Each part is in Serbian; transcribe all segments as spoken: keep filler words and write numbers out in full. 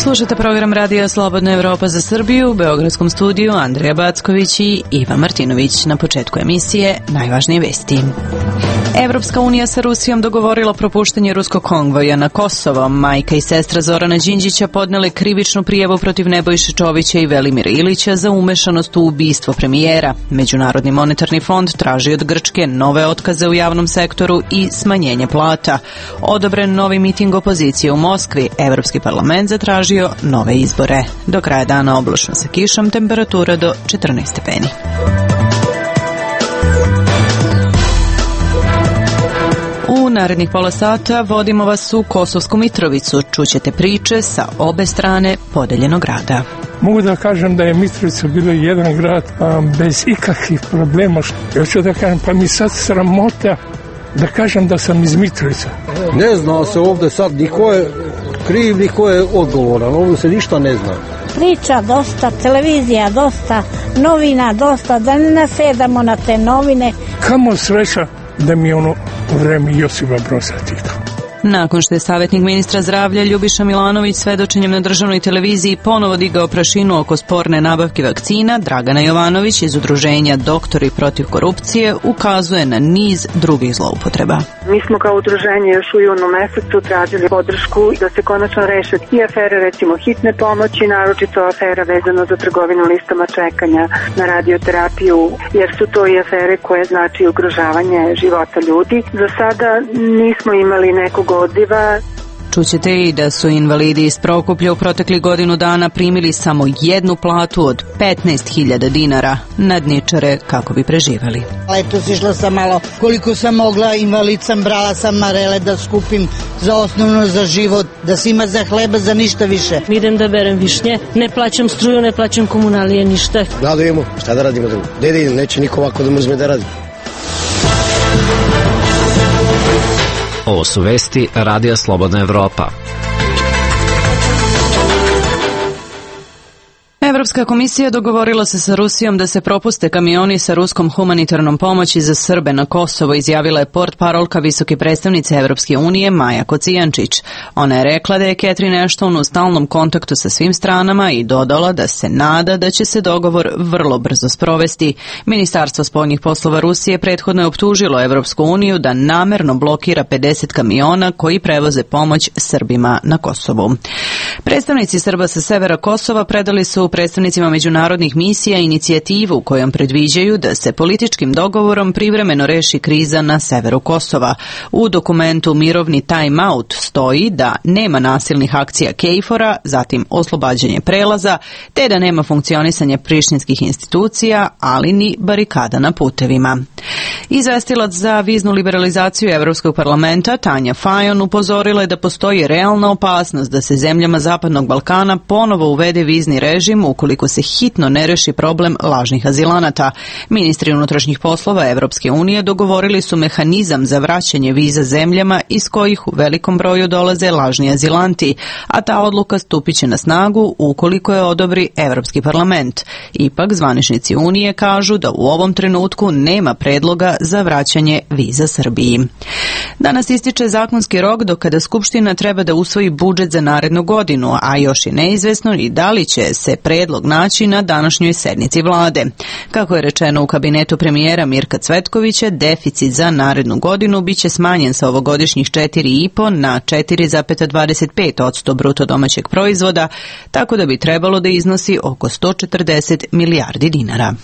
Slušate program Radija Slobodna Evropa za Srbiju u beogradskom studiju Andrija Backović i Iva Martinović. Na početku emisije najvažnije vesti. Evropska unija sa Rusijom dogovorila propuštanje ruskog konvoja na Kosovo. Majka i sestra Zorana Đinđića podnele krivičnu prijavu protiv Nebojše Čovića i Velimira Ilića za umešanost u ubistvo premijera. Međunarodni monetarni fond traži od Grčke nove otkaze u javnom sektoru i smanjenje plata. Odobren novi miting opozicije u Moskvi. Evropski parlament zatražio nove izbore. Do kraja dana oblačno sa kišom, temperatura do četrnaest stepeni. U narednih pola sata vodimo vas u Kosovsku Mitrovicu. Čućete priče sa obe strane podeljenog grada. Mogu da kažem da je Mitrovica bilo jedan grad a, bez ikakvih problema. Ja ću da kažem, pa mi sad sramota da kažem da sam iz Mitrovica. Ne zna se ovdje sad, niko je kriv, niko je odgovoran, ovdje se ništa ne zna. Priča dosta, televizija dosta, novina dosta, da ne nasedamo na te novine. Kamo sreća da mi je ono vreme Josipa Broza Tita. Nakon što je savjetnik ministra zdravlja Ljubiša Milanović svedočenjem na državnoj televiziji ponovo digao prašinu oko sporne nabavke vakcina, Dragana Jovanović iz udruženja Doktori protiv korupcije ukazuje na niz drugih zloupotreba. Mi smo kao udruženje još u junu mesecu tražili podršku da se konačno reše i afere recimo hitne pomoći, naročito afera vezano za trgovinu listama čekanja na radioterapiju, jer su to i afere koje znači ugrožavanje života ljudi. Za sada nismo imali nekog odziva. Čućete i da su invalidi iz Prokuplja u proteklih godinu dana primili samo jednu platu od petnaest hiljada dinara, nadničare kako bi preživeli. Letos išla sam malo koliko sam mogla, invalid sam, brala sam marele da skupim za osnovno za život, da se ima za hleba, za ništa više. Idem da berem višnje, ne plaćam struju, ne plaćam komunalije, ništa. Da, da imamo, šta da radimo? Dede, neće niko ovako da mu uzme da radi. Ovo su vesti Radija Slobodna Evropa. Evropska komisija dogovorila se sa Rusijom da se propuste kamioni sa ruskom humanitarnom pomoći za Srbe na Kosovo, izjavila je portparolka visoke predstavnice Evropske unije Maja Kocijančić. Ona je rekla da je Catherine Ashton u stalnom kontaktu sa svim stranama i dodala da se nada da će se dogovor vrlo brzo sprovesti. Ministarstvo spoljnih poslova Rusije prethodno je optužilo Evropsku uniju da namerno blokira pedeset kamiona koji prevoze pomoć Srbima na Kosovu. Predstavnici Srba sa severa Kosova predali su predstavnicima međunarodnih misija inicijativu kojom predviđaju da se političkim dogovorom privremeno reši kriza na severu Kosova. U dokumentu Mirovni time out stoji da nema nasilnih akcija KFOR-a, zatim oslobađanje prelaza, te da nema funkcionisanja prištinskih institucija, ali ni barikada na putevima. Izvestilac za viznu liberalizaciju Evropskog parlamenta Tanja Fajon upozorila je da postoji realna opasnost da se zemljama Zapadnog Balkana ponovo uvede vizni režim ukoliko se hitno ne reši problem lažnih azilanata. Ministri unutrašnjih poslova Evropske unije dogovorili su mehanizam za vraćanje viza zemljama iz kojih u velikom broju dolaze lažni azilanti, a ta odluka stupiće na snagu ukoliko je odobri Evropski parlament. Ipak zvaničnici Unije kažu da u ovom trenutku nema predloga za vraćanje viza Srbiji. Danas ističe zakonski rok do kada Skupština treba da usvoji budžet za narednu godinu, a još je neizvesno i da li će se predlog naći na današnjoj sednici vlade. Kako je rečeno u kabinetu premijera Mirka Cvetkovića, deficit za narednu godinu biće smanjen sa ovogodišnjih četiri zarez pet na četiri zarez dvadeset pet posto bruto domaćeg proizvoda, tako da bi trebalo da iznosi oko sto četrdeset milijardi dinara.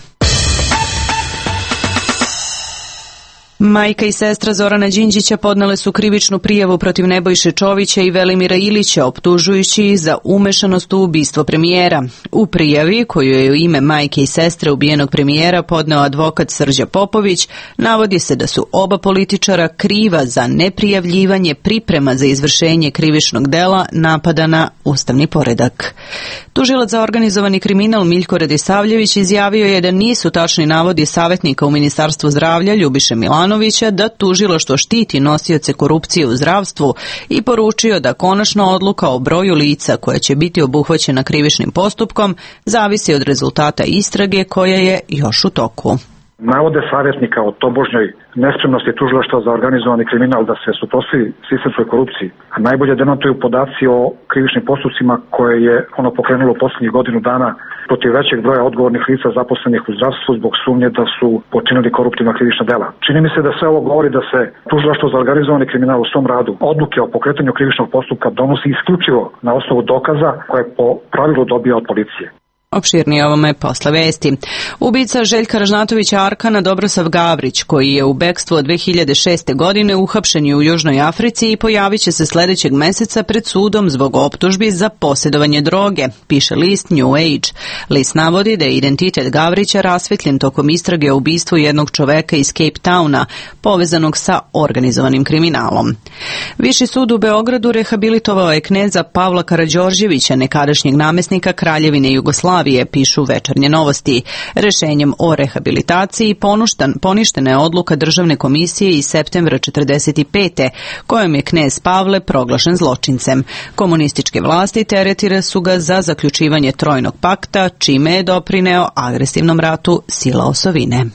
Majka i sestra Zorana Đinđića podnele su krivičnu prijavu protiv Nebojše Čovića i Velimira Ilića, optužujući ih za umešanost u ubistvo premijera. U prijavi, koju je u ime majke i sestre ubijenog premijera podneo advokat Srđa Popović, navodi se da su oba političara kriva za neprijavljivanje priprema za izvršenje krivičnog dela napada na ustavni poredak. Tužilac za organizovani kriminal Miljko Radisavljević izjavio je da nisu tačni navodi savjetnika u Ministarstvu zdravlja Ljubiše Milanovića da tužilaštvo štiti nosioce korupcije u zdravstvu i poručio da konačna odluka o broju lica koja će biti obuhvaćena krivičnim postupkom zavisi od rezultata istrage koja je još u toku. Navode savjetnika o tobožnjoj nespremnosti tužilaštva za organizovani kriminal da se suprotstavi sistemskoj korupciji, a najbolje demantuju podaci o krivičnim postupcima koje je ono pokrenulo u posljednjih godinu dana protiv većeg broja odgovornih lica zaposlenih u zdravstvu zbog sumnje da su počinili koruptivna krivična dela. Čini mi se da sve ovo govori da se tužilaštvo za organizovani kriminal u svom radu odluke o pokretanju krivičnog postupka donosi isključivo na osnovu dokaza koje po pravilu dobija od policije. Opširnije ovome posle vesti. Ubica Željka Ražnatovića Arkana Dobrosav Gavrić, koji je u bekstvu od dve hiljade šeste. godine uhapšen je u Južnoj Africi i pojavit će se sljedećeg meseca pred sudom zbog optužbi za posjedovanje droge, piše list New Age. List navodi da je identitet Gavrića rasvetljen tokom istrage o ubistvu jednog čoveka iz Cape Towna, povezanog sa organizovanim kriminalom. Viši sud u Beogradu rehabilitovao je kneza Pavla Karađorđevića, nekadašnjeg namjesnika Kraljevine Jugoslavije, pišu Večernje novosti. Rešenjem o rehabilitaciji ponuštan, poništena je odluka državne komisije iz septembra četrdeset pete. kojom je knez Pavle proglašen zločincem. Komunističke vlasti teretire su ga za zaključivanje trojnog pakta, čime je doprineo agresivnom ratu sila osovine.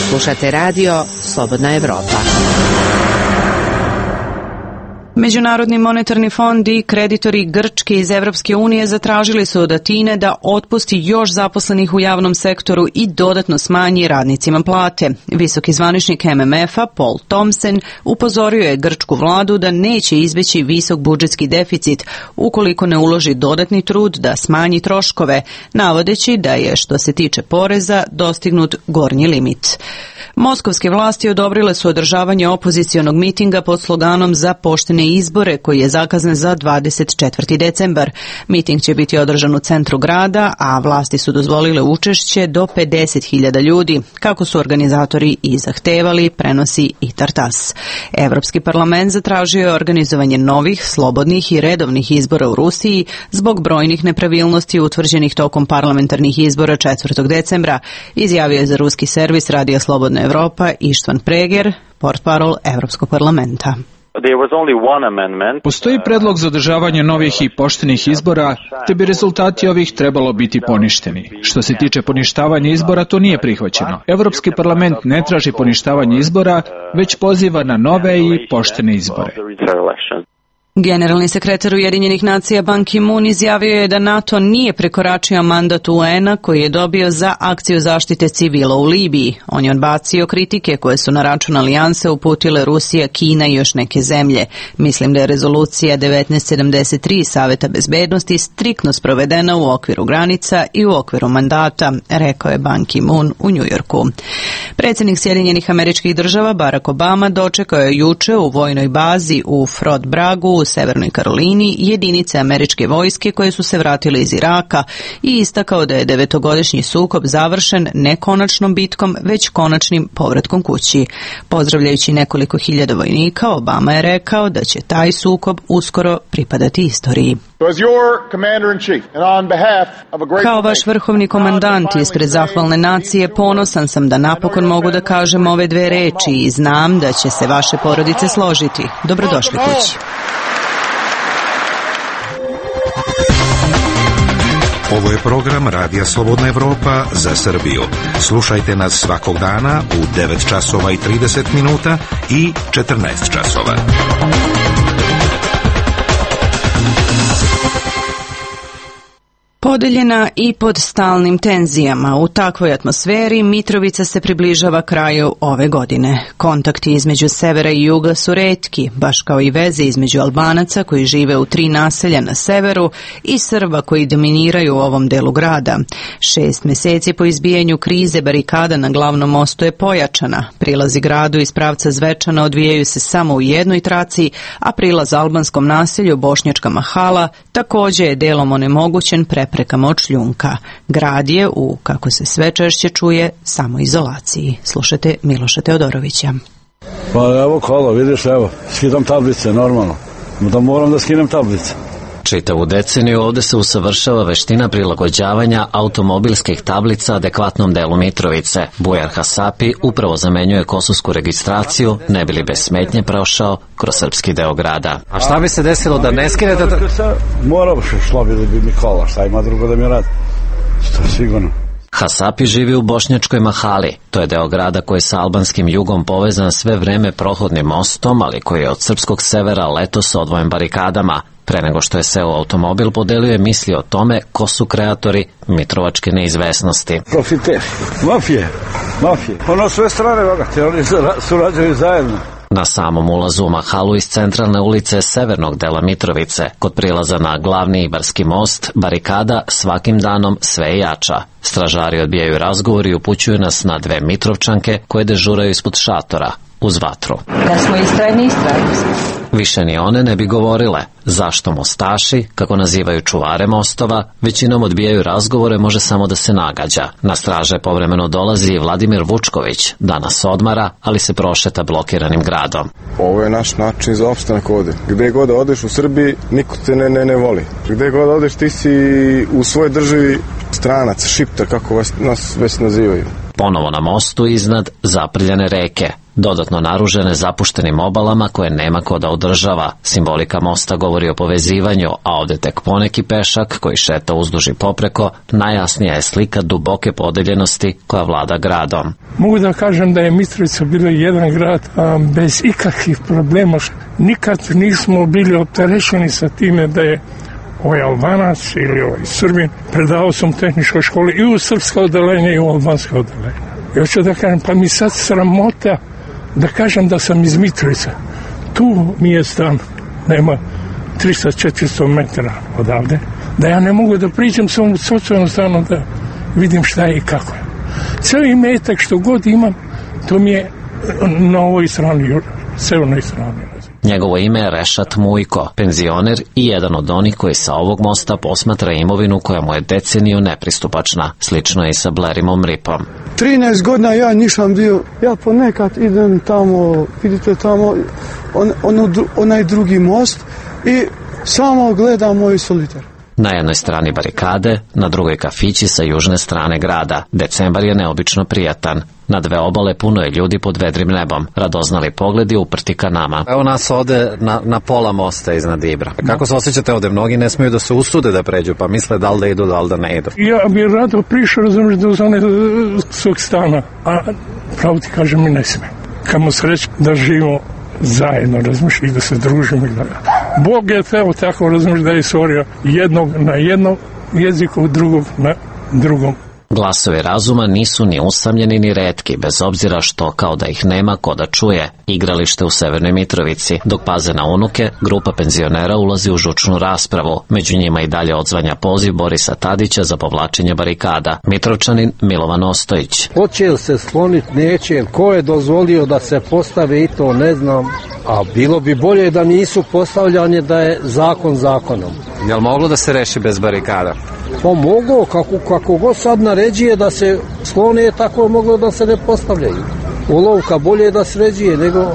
Slušate radio Slobodna Evropa. Međunarodni monetarni fond i kreditori Grčke iz Evropske unije zatražili su od Atine da otpusti još zaposlenih u javnom sektoru i dodatno smanji radnicima plate. Visoki zvaničnik M M F-a Paul Thompson upozorio je grčku vladu da neće izbeći visok budžetski deficit ukoliko ne uloži dodatni trud da smanji troškove, navodeći da je, što se tiče poreza, dostignut gornji limit. Moskovske vlasti odobrile su održavanje opozicionog mitinga pod sloganom za poštene izbore, koji je zakazan za dvadeset četvrti decembar. Miting će biti održan u centru grada, a vlasti su dozvolile učešće do pedeset hiljada ljudi, kako su organizatori i zahtevali, prenosi i Tartas. Evropski parlament zatražio je organizovanje novih, slobodnih i redovnih izbora u Rusiji zbog brojnih nepravilnosti utvrđenih tokom parlamentarnih izbora četvrtog decembra, izjavio je za ruski servis Radija Slobodna Evropa Ištvan Preger, portparol Evropskog parlamenta. Postoji predlog za održavanje novih i poštenih izbora, te bi rezultati ovih trebalo biti poništeni. Što se tiče poništavanja izbora, to nije prihvaćeno. Evropski parlament ne traži poništavanje izbora, već poziva na nove i poštene izbore. Generalni sekretar Ujedinjenih nacija Ban Ki-moon izjavio je da NATO nije prekoračio mandat U N-a koji je dobio za akciju zaštite civila u Libiji. On je odbacio kritike koje su na račun alijanse uputile Rusija, Kina i još neke zemlje. Mislim da je rezolucija devetnaest sedamdeset tri Saveta bezbednosti striktno sprovedena u okviru granica i u okviru mandata, rekao je Ban Ki-moon u Njujorku. Predsjednik Sjedinjenih Američkih Država Barack Obama dočekao je juče u vojnoj bazi u Fort Braggu u Severnoj Karolini jedinice američke vojske koje su se vratile iz Iraka i istakao da je devetogodišnji sukob završen ne konačnom bitkom, već konačnim povratkom kući. Pozdravljajući nekoliko hiljada vojnika, Obama je rekao da će taj sukob uskoro pripadati istoriji. Kao vaš vrhovni komandant ispred zahvalne nacije, ponosan sam da napokon mogu da kažem ove dve reči i znam da će se vaše porodice složiti. Dobrodošli kući. Ovo je program Radija Slobodna Evropa za Srbiju. Slušajte nas svakog dana u devet časova i trideset minuta i četrnaest časova. Podeljena i pod stalnim tenzijama, u takvoj atmosferi Mitrovica se približava kraju ove godine. Kontakti između severa i juga su retki, baš kao i veze između Albanaca koji žive u tri naselja na severu i Srba koji dominiraju u ovom delu grada. Šest mjeseci po izbijanju krize barikada na glavnom mostu je pojačana. Prilazi gradu iz pravca Zvečana odvijaju se samo u jednoj traci, a prilaz albanskom naselju Bošnjačka Mahala također je delom onemogućen preprekama od šljunka. Grad je u, kako se sve češće čuje, samoizolaciji. Slušate Miloša Teodorovića. Pa evo kola, vidiš, evo, skidam tablice, normalno. Da moram da skinem tablice. Čitavu deceniju ovdje se usavršava veština prilagođavanja automobilskih tablica adekvatnom delu Mitrovice. Bujar Hasapi upravo zamenjuje kosovsku registraciju, ne bi li bez smetnje prošao kroz srpski deo grada. A šta bi se desilo da ne skinete? Moram, šlo bi da bi mi kola, šta ima drugo da mi radi? Što je sigurno. Hasapi živi u bošnjačkoj Mahali. To je deo grada koji je sa albanskim jugom povezan sve vreme prohodnim mostom, ali koji je od srpskog severa letos odvojen barikadama. Pre nego što je seo u automobil, podelio je misli o tome ko su kreatori mitrovačke neizvesnosti. Profiter, mafije, mafije. Ono sve strane vagate, oni surađuju zajedno. Na samom ulazu u Mahalu iz centralne ulice severnog dela Mitrovice, kod prilaza na glavni Ibarski most, barikada svakim danom sve jača. Stražari odbijaju razgovor i upućuju nas na dve Mitrovčanke koje dežuraju ispod šatora, uz vatru. Da smo istrajni, istrajni smo. Više ni one ne bi govorile zašto mostaši, kako nazivaju čuvare mostova, većinom odbijaju razgovore, može samo da se nagađa. Na straže povremeno dolazi i Vladimir Vučković, danas odmara, ali se prošeta blokiranim gradom. Ovo je naš način za opstanak ovde. Gde god odeš u Srbiji, niko te ne, ne, ne voli. Gde god odeš, ti si u svojoj državi stranac, šiptar, kako vas, nas već nazivaju. Ponovo na mostu iznad zaprljane reke, dodatno naružene zapuštenim obalama koje nema ko da održava. Simbolika mosta govori o povezivanju, a ovde tek poneki pešak koji šeta uzduž i popreko, najjasnija je slika duboke podeljenosti koja vlada gradom. Mogu da kažem da je Mitrovica bila jedan grad a, bez ikakvih problema. Nikad nismo bili opterećeni sa time da je ovaj Albanac ili ovaj Srbin. Predavao sam u tehničkoj školi i u srpsko odeljenje i u albansko odeljenje. I hoću da kažem, pa mi sad sramota da kažem da sam iz Mitrovice. Tu mi je stan, nema tristo do četiristo metara odavde, da ja ne mogu da priđem sa ovom socijalnom stanu da vidim šta je i kako je. Cijeli imetak što god imam, to mi je na ovoj strani, severnoj strani. Njegovo ime je Rešat Mujko, penzioner i jedan od onih koji sa ovog mosta posmatra imovinu koja mu je deceniju nepristupačna. Slično je i sa Blerimom Ripom. trinaest godina ja nisam bio, ja ponekad idem tamo, vidite tamo, on, on, onaj drugi most i samo gledam moj solitar. Na jednoj strani barikade, na drugoj kafići sa južne strane grada. Decembar je neobično prijatan. Na dve obale puno je ljudi pod vedrim nebom. Radoznali pogledi uprti ka nama. Evo nas ovde na, na pola mosta iznad Ibra. Kako se osjećate ovde? Mnogi ne smiju da se usude da pređu, pa misle da li da idu, da li da ne idu. Ja bih rado prišao, razumiješ, do zone svog stana, a pravo ti kažem mi ne sme. Kamo sreći da živimo zajedno, razumiješ, i da se družimo. Bog je teo tako, razumiješ, da je stvorio jednog na jednom jeziku, drugog na drugom. Glasovi razuma nisu ni usamljeni ni retki, bez obzira što, kao da ih nema ko da čuje. Igralište u Severnoj Mitrovici. Dok paze na unuke, grupa penzionera ulazi u žučnu raspravu. Među njima i dalje odzvanja poziv Borisa Tadića za povlačenje barikada. Mitrovčanin Milovan Ostojić. Hoće li se skloniti, neće, ko je dozvolio da se postave i to ne znam, a bilo bi bolje da nisu postavljanje, da je zakon zakonom. Jel moglo da se reši bez barikada? Pa mogo, kako, kako god sad naređuje da se sklone, tako moglo da se ne postavljaju. Olovka bolje da sređuje nego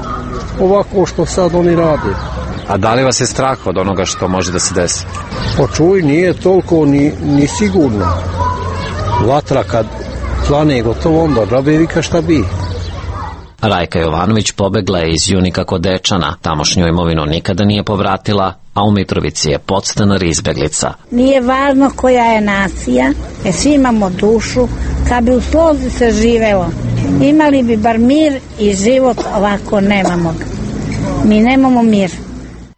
ovako što sad oni rade. A da li vas je strah od onoga što može da se desi? Pa čuj, nije toliko ni, ni sigurno. Vatra kad plane gotovo, onda džabe vika šta bi. Rajka Jovanović pobegla je iz Junika kod Dečana. Tamošnju imovinu nikada nije povratila, a u Mitrovici je podstanar izbeglica. Nije važno koja je nacija, jer svi imamo dušu. Kad bi u slozi se živelo, imali bi bar mir i život, ovako nemamo. Mi nemamo mir.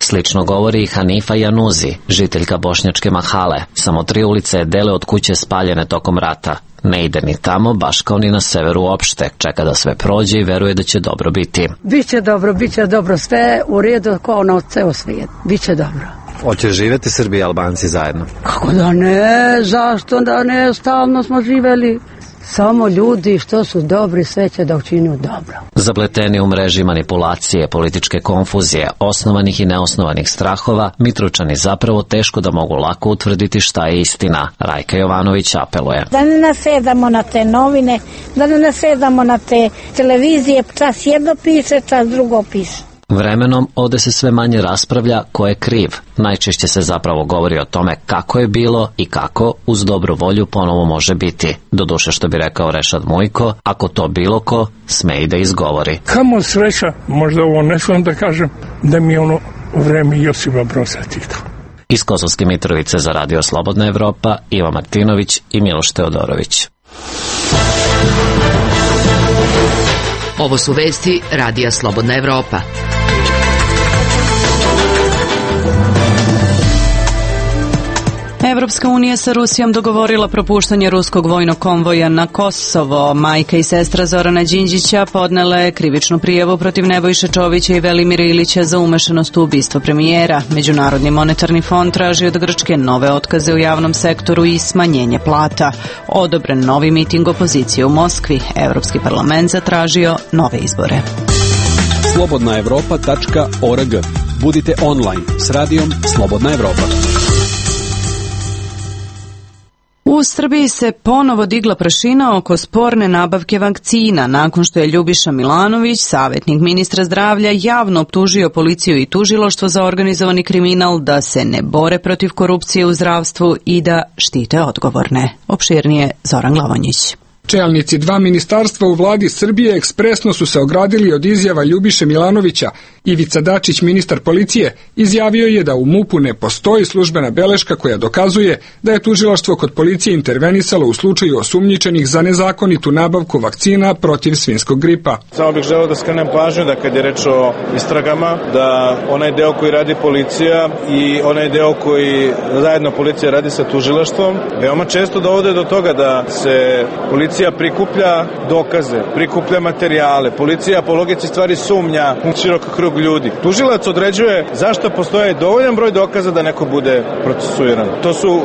Slično govori i Hanifa Januzi, žiteljka bošnjačke Mahale. Samo tri ulice je dele od kuće spaljene tokom rata. Ne ide ni tamo, baš kao ni na severu uopšte. Čeka da sve prođe i veruje da će dobro biti. Biće dobro, biće dobro, sve u redu kao na ceo svijet. Biće dobro. Hoće živjeti Srbi i Albanci zajedno? Kako da ne, zašto da ne, stalno smo živeli. Samo ljudi što su dobri, sve će da učinu dobro. Zapleteni u mreži manipulacije, političke konfuzije, osnovanih i neosnovanih strahova, Mitrovčani zapravo teško da mogu lako utvrditi šta je istina. Rajka Jovanović apeluje. Da ne nasedamo na te novine, da ne nasedamo na te televizije, čas jedno piše, čas drugo piše. Vremenom ovde se sve manje raspravlja ko je kriv. Najčešće se zapravo govori o tome kako je bilo i kako uz dobru volju ponovo može biti. Doduše, što bi rekao Rešat Mujko, ako to bilo ko, sme i da izgovori. Kamo sreća, možda ovo ne smijem da kažem, da mi je ono vreme Josipa Broza Tita. Iz Kosovske Mitrovice za Radio Slobodna Evropa, Iva Martinović i Miloš Teodorović. Ovo su vesti Radija Slobodna Evropa. Evropska unija sa Rusijom dogovorila propuštanje ruskog vojnog konvoja na Kosovo. Majka i sestra Zorana Đinđića podnele krivičnu prijavu protiv Nebojše Čovića i Velimira Ilića za umešanost u ubistvo premijera. Međunarodni monetarni fond traži od Grčke nove otkaze u javnom sektoru i smanjenje plata. Odobren novi miting opozicije u Moskvi. Evropski parlament zatražio nove izbore. slobodna evropa tačka org. Budite online s radijom Slobodna Evropa. U Srbiji se ponovo digla prašina oko sporne nabavke vakcina nakon što je Ljubiša Milanović, savjetnik ministra zdravlja, javno optužio policiju i tužilaštvo za organizovani kriminal da se ne bore protiv korupcije u zdravstvu i da štite odgovorne. Opširnije Zoran Glavonjić. Čelnici dva ministarstva u vladi Srbije ekspresno su se ogradili od izjava Ljubiše Milanovića. Ivica Dačić, ministar policije, izjavio je da u MUP-u ne postoji službena beleška koja dokazuje da je tužilaštvo kod policije intervenisalo u slučaju osumnjičenih za nezakonitu nabavku vakcina protiv svinjskog gripa. Samo bih želeo da skrenem pažnju da kad je reč o istragama, da onaj deo koji radi policija i onaj deo koji zajedno policija radi sa tužilaštvom, veoma često dovode do toga da se policija prikuplja dokaze, prikuplja materijale, policija po logici stvari sumnja u širok krug ljudi. Tužilac određuje zašto postoje dovoljan broj dokaza da neko bude procesuiran. To su uh,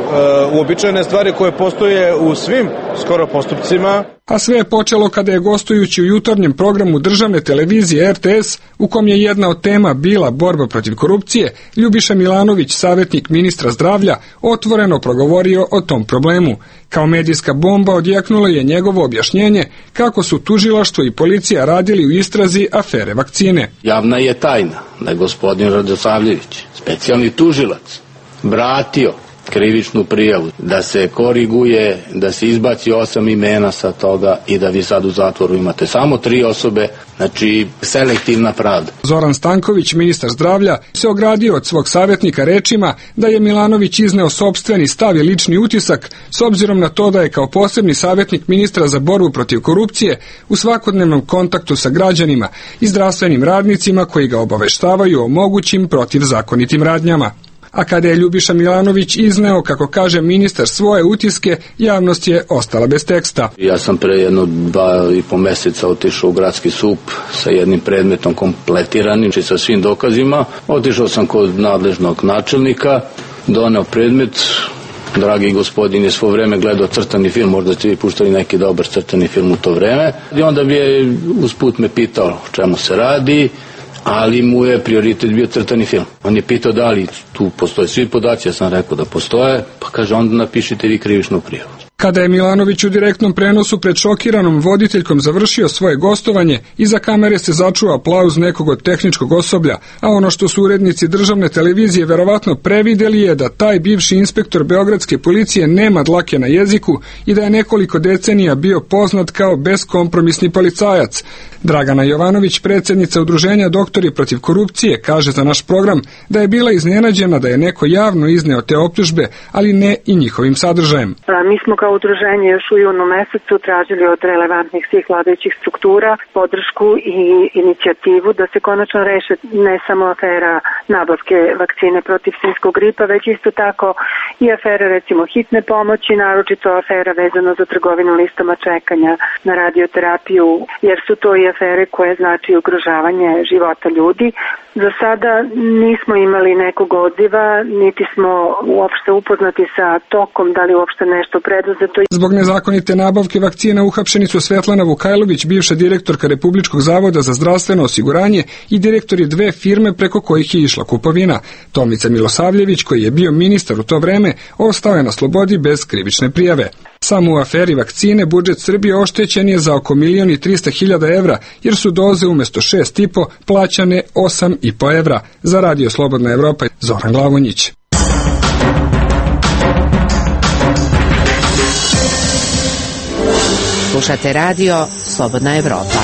uobičajene stvari koje postoje u svim skoro postupcima. A sve je počelo kada je gostujući u jutarnjem programu državne televizije R T S, u kom je jedna od tema bila borba protiv korupcije, Ljubiša Milanović, savjetnik ministra zdravlja, otvoreno progovorio o tom problemu. Kao medijska bomba odjeknulo je njegovo objašnjenje kako su tužilaštvo i policija radili u istrazi afere vakcine. Javna je tajna da je gospodin Radosavljević, specijalni tužilac, vratio krivičnu prijavu, da se koriguje, da se izbaci osam imena sa toga i da vi sad u zatvoru imate samo tri osobe, znači selektivna pravda. Zoran Stanković, ministar zdravlja, se ogradio od svog savjetnika rečima da je Milanović izneo sopstveni stav i lični utisak s obzirom na to da je kao posebni savjetnik ministra za borbu protiv korupcije u svakodnevnom kontaktu sa građanima i zdravstvenim radnicima koji ga obaveštavaju o mogućim protivzakonitim radnjama. A kada je Ljubiša Milanović izneo, kako kaže ministar, svoje utiske, javnost je ostala bez teksta. Ja sam pre jedno dva i po meseca otišao u gradski sup sa jednim predmetom kompletiranim, či sa svim dokazima. Otišao sam kod nadležnog načelnika, doneo predmet. Dragi gospodin je svo vreme gledao crtani film, možda ste vi puštali neki dobar crtani film u to vreme. I onda bi je usput me pitao o čemu se radi, ali mu je prioritet bio crtani film. On je pitao da li tu postoje svi podaci, ja sam rekao da postoje, pa kaže onda napišite vi krivičnu prijavu. Kada je Milanović u direktnom prenosu pred šokiranom voditeljkom završio svoje gostovanje, iza kamere se začuo aplauz nekog od tehničkog osoblja, a ono što su urednici državne televizije verovatno prevideli je da taj bivši inspektor beogradske policije nema dlake na jeziku i da je nekoliko decenija bio poznat kao beskompromisni policajac. Dragana Jovanović, predsjednica udruženja Doktori protiv korupcije, kaže za naš program da je bila iznenađena da je neko javno izneo te optužbe, ali ne i njihovim sadržajem. Mi smo kao udruženje još u junu mesecu tražili od relevantnih svih vladajućih struktura podršku i inicijativu da se konačno reše ne samo afera nabavke vakcine protiv svinjskog gripa, već isto tako i afere recimo hitne pomoći, naročito afera vezano za trgovinu listama čekanja na radioterapiju, jer su to i afere koje znači ugrožavanje života ljudi. Za sada nismo imali nekog odziva, niti smo uopšte upoznati sa tokom, da li uopšte nešto preduzeto. Zbog nezakonite nabavke vakcina uhapšeni su Svetlana Vukajlović, bivša direktorka Republičkog zavoda za zdravstveno osiguranje i direktori dve firme preko kojih je išla kupovina. Tomica Milosavljević, koji je bio ministar u to vreme, ostao je na slobodi bez krivične prijave. Samo u aferi vakcine budžet Srbije oštećen je za oko milion i trista hiljada evra, jer su doze umjesto šest i po plaćane osam i po evra. Za Radio Slobodna Evropa, Zoran Glavonjić. Slušate Radio Slobodna Evropa.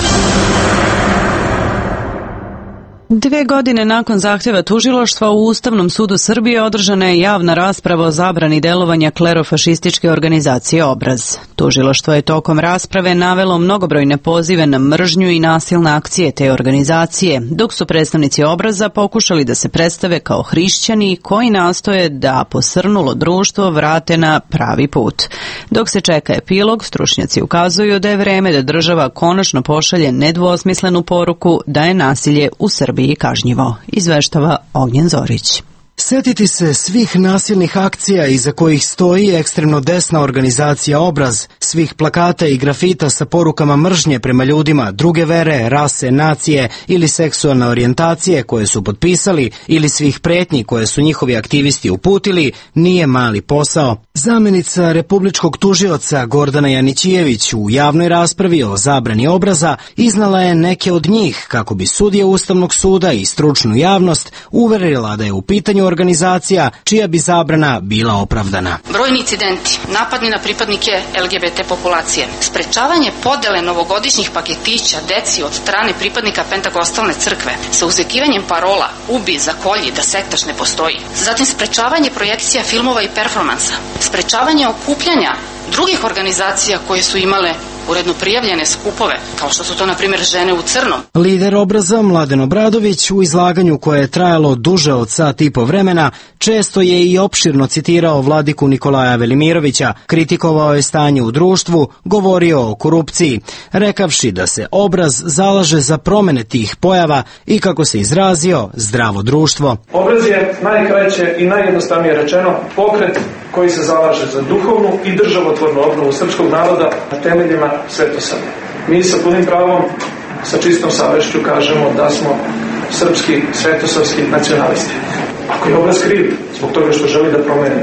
Dve godine nakon zahtjeva tužilaštva u Ustavnom sudu Srbije održana je javna rasprava o zabrani delovanja klerofašističke organizacije Obraz. Tužilaštvo je tokom rasprave navelo mnogobrojne pozive na mržnju i nasilne akcije te organizacije, dok su predstavnici Obraza pokušali da se predstave kao hrišćani koji nastoje da posrnulo društvo vrate na pravi put. Dok se čeka epilog, stručnjaci ukazuju da je vreme da država konačno pošalje nedvosmislenu poruku da je nasilje u Srbiji i kažnjivo, izveštava Ognjen Zorić. Sjetiti se svih nasilnih akcija iza kojih stoji ekstremno desna organizacija Obraz, svih plakata i grafita sa porukama mržnje prema ljudima druge vere, rase, nacije ili seksualne orijentacije koje su potpisali ili svih pretnji koje su njihovi aktivisti uputili, nije mali posao. Zamjenica republičkog tužioca Gordana Janićijević u javnoj raspravi o zabrani Obraza iznala je neke od njih kako bi sudije Ustavnog suda i stručnu javnost uverila da je u pitanju organizacija čija bi zabrana bila opravdana. Brojni incidenti, napadi na pripadnike L G B T populacije, sprečavanje podele novogodišnjih paketića deci od strane pripadnika Pentakostalne crkve sa uzvikivanjem parola ubi, zakolji, da sektaš ne postoji. Zatim sprečavanje projekcija filmova i performansa, sprečavanje okupljanja drugih organizacija koje su imale uredno prijavljene skupove, kao što su to, na primjer, žene u crnom. Lider Obraza, Mladen Obradović, u izlaganju koje je trajalo duže od sat i po vremena, često je i opširno citirao vladiku Nikolaja Velimirovića, kritikovao je stanje u društvu, govorio o korupciji, rekavši da se Obraz zalaže za promene tih pojava i, kako se izrazio, zdravo društvo. Obraz je najkraće i najjednostavnije rečeno pokret koji se zalaže za duhovnu i državotvornu obnovu srpskog naroda na temeljima svetosavlja. Mi sa punim pravom, sa čistom savešću kažemo da smo srpski svetosavski nacionalisti. Ako je Obraz kriv zbog toga što želi da promeni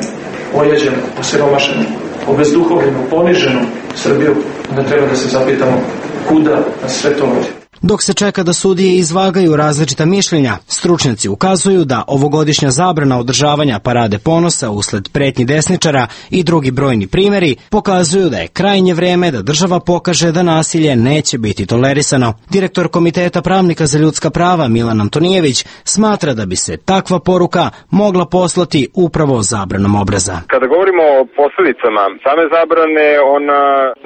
ojeđenu, osiromašenu, obezduhovljenu, poniženu Srbiju, onda treba da se zapitamo kuda nas sve to vodi. Dok se čeka da sudije izvagaju različita mišljenja, stručnjaci ukazuju da ovogodišnja zabrana održavanja parade ponosa usled pretnji desničara i drugi brojni primjeri pokazuju da je krajnje vreme da država pokaže da nasilje neće biti tolerisano. Direktor Komiteta pravnika za ljudska prava Milan Antonijević smatra da bi se takva poruka mogla poslati upravo zabranom Obraza. Kada govorimo o posljedicama same zabrane, ona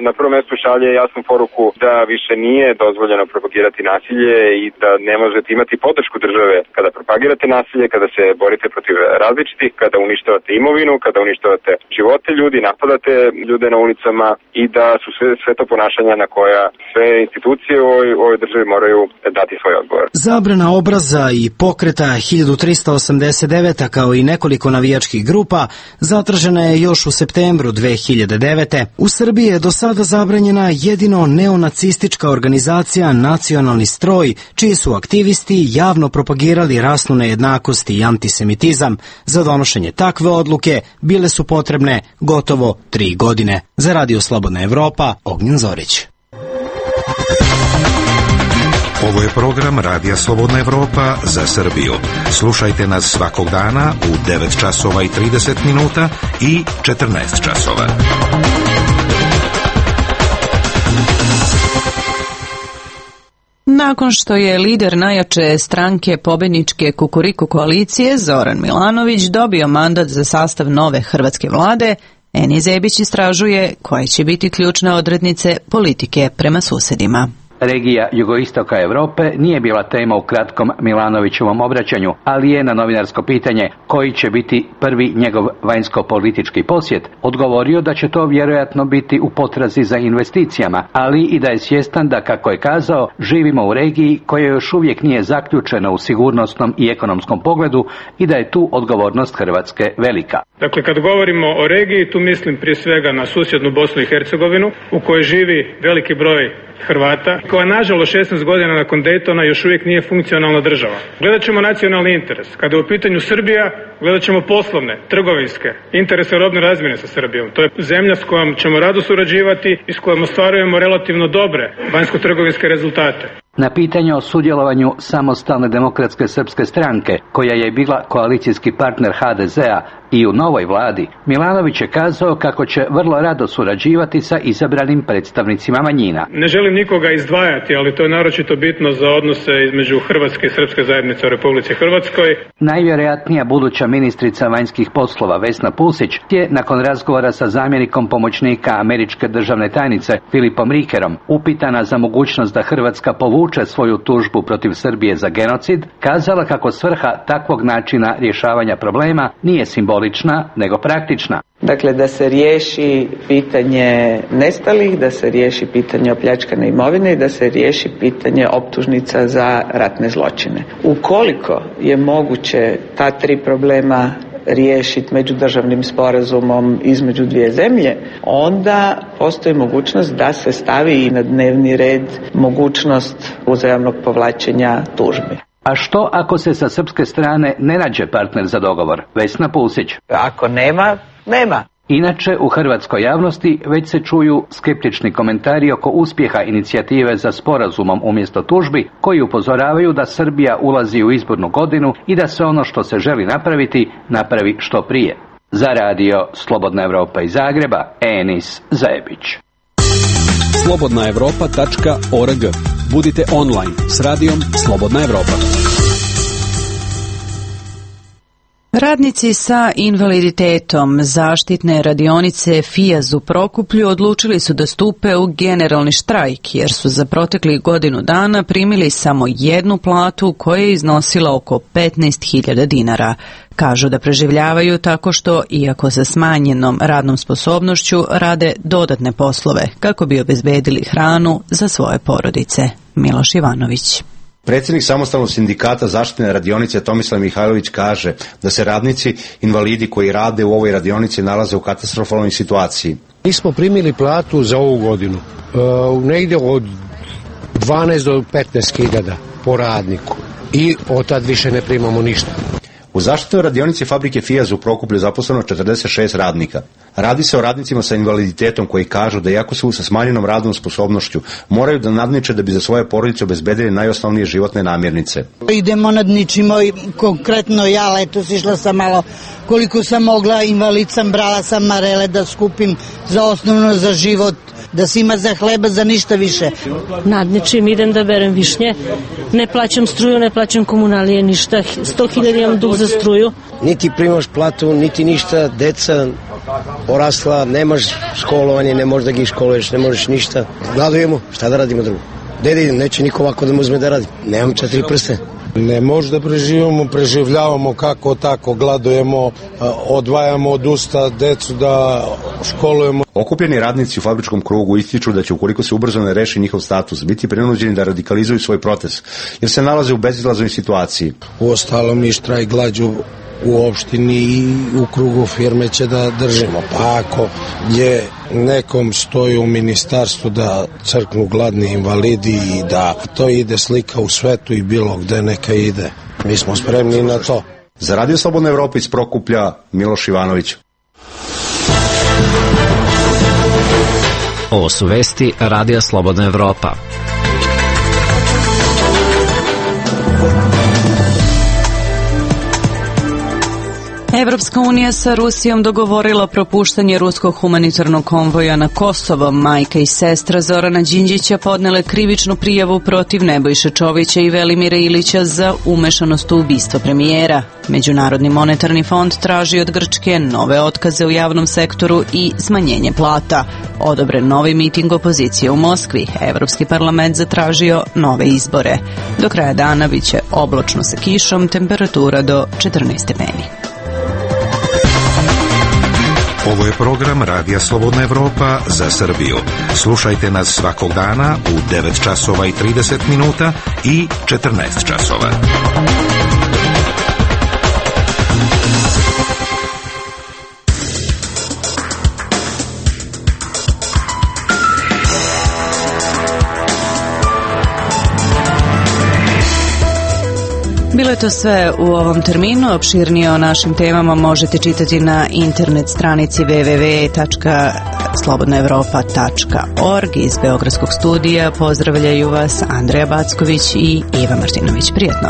na prvom mjestu šalje jasnu poruku da više nije dozvoljeno propagirati nasilje i da ne možete imati podršku države kada propagirate nasilje, kada se borite protiv različitih, kada uništavate imovinu, kada uništavate živote ljudi, napadate ljude na ulicama i da su sve, sve to ponašanja na koja sve institucije u ovoj, u ovoj državi moraju dati svoj odgovor. Zabrana Obraza i pokreta hiljadu trista osamdeset devet kao i nekoliko navijačkih grupa zatražena je još u septembru dve hiljade devete. U Srbiji je do sada zabranjena jedino neonacistička organizacija Nacionalni stroj, čiji su aktivisti javno propagirali rasnu nejednakost i antisemitizam. Za donošenje takve odluke bile su potrebne gotovo tri godine. Za Radio Slobodna Evropa, Ognjen Zorić. Ovo je program Radija Slobodna Evropa za Srbiju. Slušajte nas svakog dana u devet časova i trideset minuta i četrnaest časova. Nakon što je lider najjače stranke pobedničke Kukuriku koalicije Zoran Milanović dobio mandat za sastav nove hrvatske vlade, Eni Zebić istražuje koje će biti ključne odrednice politike prema susedima. Regija jugoistoka Europe nije bila tema u kratkom Milanovićevom obraćanju, ali je na novinarsko pitanje koji će biti prvi njegov vanjsko-politički posjet odgovorio da će to vjerojatno biti u potrazi za investicijama, ali i da je svjestan da, kako je kazao, živimo u regiji koja još uvijek nije zaključena u sigurnosnom i ekonomskom pogledu i da je tu odgovornost Hrvatske velika. Dakle, kad govorimo o regiji, tu mislim prije svega na susjednu Bosnu i Hercegovinu, u kojoj živi veliki broj Hrvata, koja nažalost šesnaest godina nakon Daytona još uvijek nije funkcionalna država. Gledat ćemo nacionalni interes. Kada je u pitanju Srbija, gledat ćemo poslovne, trgovinske interese robne razmjene sa Srbijom. To je zemlja s kojom ćemo rado surađivati i s kojom ostvarujemo relativno dobre vanjsko-trgovinske rezultate. Na pitanje o sudjelovanju Samostalne demokratske srpske stranke, koja je bila koalicijski partner ha de zea i u novoj vladi, Milanović je kazao kako će vrlo rado surađivati sa izabranim predstavnicima manjina. Ne želim nikoga izdvajati, ali to je naročito bitno za odnose između Hrvatske i Srpske zajednice u Republici Hrvatskoj. Najvjerojatnija buduća ministrica vanjskih poslova Vesna Pusić je nakon razgovora sa zamjenikom pomoćnika američke državne tajnice Filipom Rikerom, upitana za mogućnost da Hrvatska povuče svoju tužbu protiv Srbije za genocid, kazala kako svrha takvog načina rješavanja problema nije simbolična, nego praktična. Dakle, da se riješi pitanje nestalih, da se riješi pitanje opljačkane imovine i da se riješi pitanje optužnica za ratne zločine. Ukoliko je moguće ta tri problema riješiti međudržavnim sporazumom između dvije zemlje, onda postoji mogućnost da se stavi i na dnevni red mogućnost uzajamnog povlačenja tužbi. A što ako se sa srpske strane ne nađe partner za dogovor? Vesna Pusić. Ako nema, nema. Inače, u hrvatskoj javnosti već se čuju skeptični komentari oko uspjeha inicijative za sporazumom umjesto tužbi, koji upozoravaju da Srbija ulazi u izbornu godinu i da se ono što se želi napraviti, napravi što prije. Za radio Slobodna Evropa iz Zagreba, Enis Zajebić. slobodna evropa tačka org. Budite online s radijom Slobodna Evropa. Radnici sa invaliditetom zaštitne radionice Fijaz u Prokuplju odlučili su da stupe u generalni štrajk jer su za proteklih godinu dana primili samo jednu platu koja je iznosila oko petnaest hiljada dinara. Kažu da preživljavaju tako što, iako sa smanjenom radnom sposobnošću, rade dodatne poslove kako bi obezbedili hranu za svoje porodice. Miloš Ivanović. Predsjednik samostalnog sindikata zaštitne radionice Tomislav Mihajlović kaže da se radnici invalidi koji rade u ovoj radionici nalaze u katastrofalnoj situaciji. Mi smo primili platu za ovu godinu uh, negdje od dvanaest do petnaest hiljada po radniku i od tad više ne primamo ništa. U zaštitnoj radionici fabrike Fijaz u Prokuplju zaposleno četrdeset šest radnika. Radi se o radnicima sa invaliditetom koji kažu da iako su sa smanjenom radnom sposobnošću moraju da nadniče da bi za svoje porodice obezbedili najosnovnije životne namirnice. Idemo nadničimo, konkretno ja letos išla sam malo koliko sam mogla, invalid sam, brala sam marele da skupim za osnovno za život, da se ima za hleba, za ništa više. Nadničim, idem da berem višnje, ne plaćam struju, ne plaćam komunalije, ništa, sto hiljada imam dug za struju. Niti primaš platu, niti ništa, deca porasla, nemaš školovanje, ne možeš da gi školuješ, ne možeš ništa. Gladujemo, šta da radimo drugo? Gde da idem, neće niko ovako da mu uzme da radi. Nemam četiri prste. Ne može da preživimo, preživljavamo kako tako, gladujemo, odvajamo od usta decu da školujemo. Okupljeni radnici u fabričkom krugu ističu da će, ukoliko se ubrzo ne reši njihov status, biti prinuđeni da radikalizuju svoj protest, jer se nalaze u bezizlaznoj situaciji. U ostalom i štrajk glađu u opštini i u krugu firme će da držimo. Pa ako je nekom stoji u ministarstvu da crknu gladni invalidi i da to ide slika u svetu i bilo gde neka ide, mi smo spremni na to. Za Radio Slobodna Evropa iz Prokuplja, Miloš Ivanović. Ovo su vesti Radija Slobodna Evropa. Evropska unija sa Rusijom dogovorila propuštanje ruskog humanitarnog konvoja na Kosovo. Majka i sestra Zorana Đinđića podnele krivičnu prijavu protiv Nebojše Čovića i Velimira Ilića za umešanost u ubistvo premijera. Međunarodni monetarni fond traži od Grčke nove otkaze u javnom sektoru i smanjenje plata. Odobren novi miting opozicije u Moskvi. Evropski parlament zatražio nove izbore. Do kraja dana biće oblačno sa kišom, temperatura do četrnaest stepeni. Ovo je program Radija Slobodna Evropa za Srbiju. Slušajte nas svakog dana u devet časova i trideset minuta i četrnaest časova. Bilo je to sve u ovom terminu. Opširnije o našim temama možete čitati na internet stranici w w w tačka slobodna evropa tačka org. Iz Beogradskog studija pozdravljaju vas Andreja Backović i Iva Martinović. Prijetno!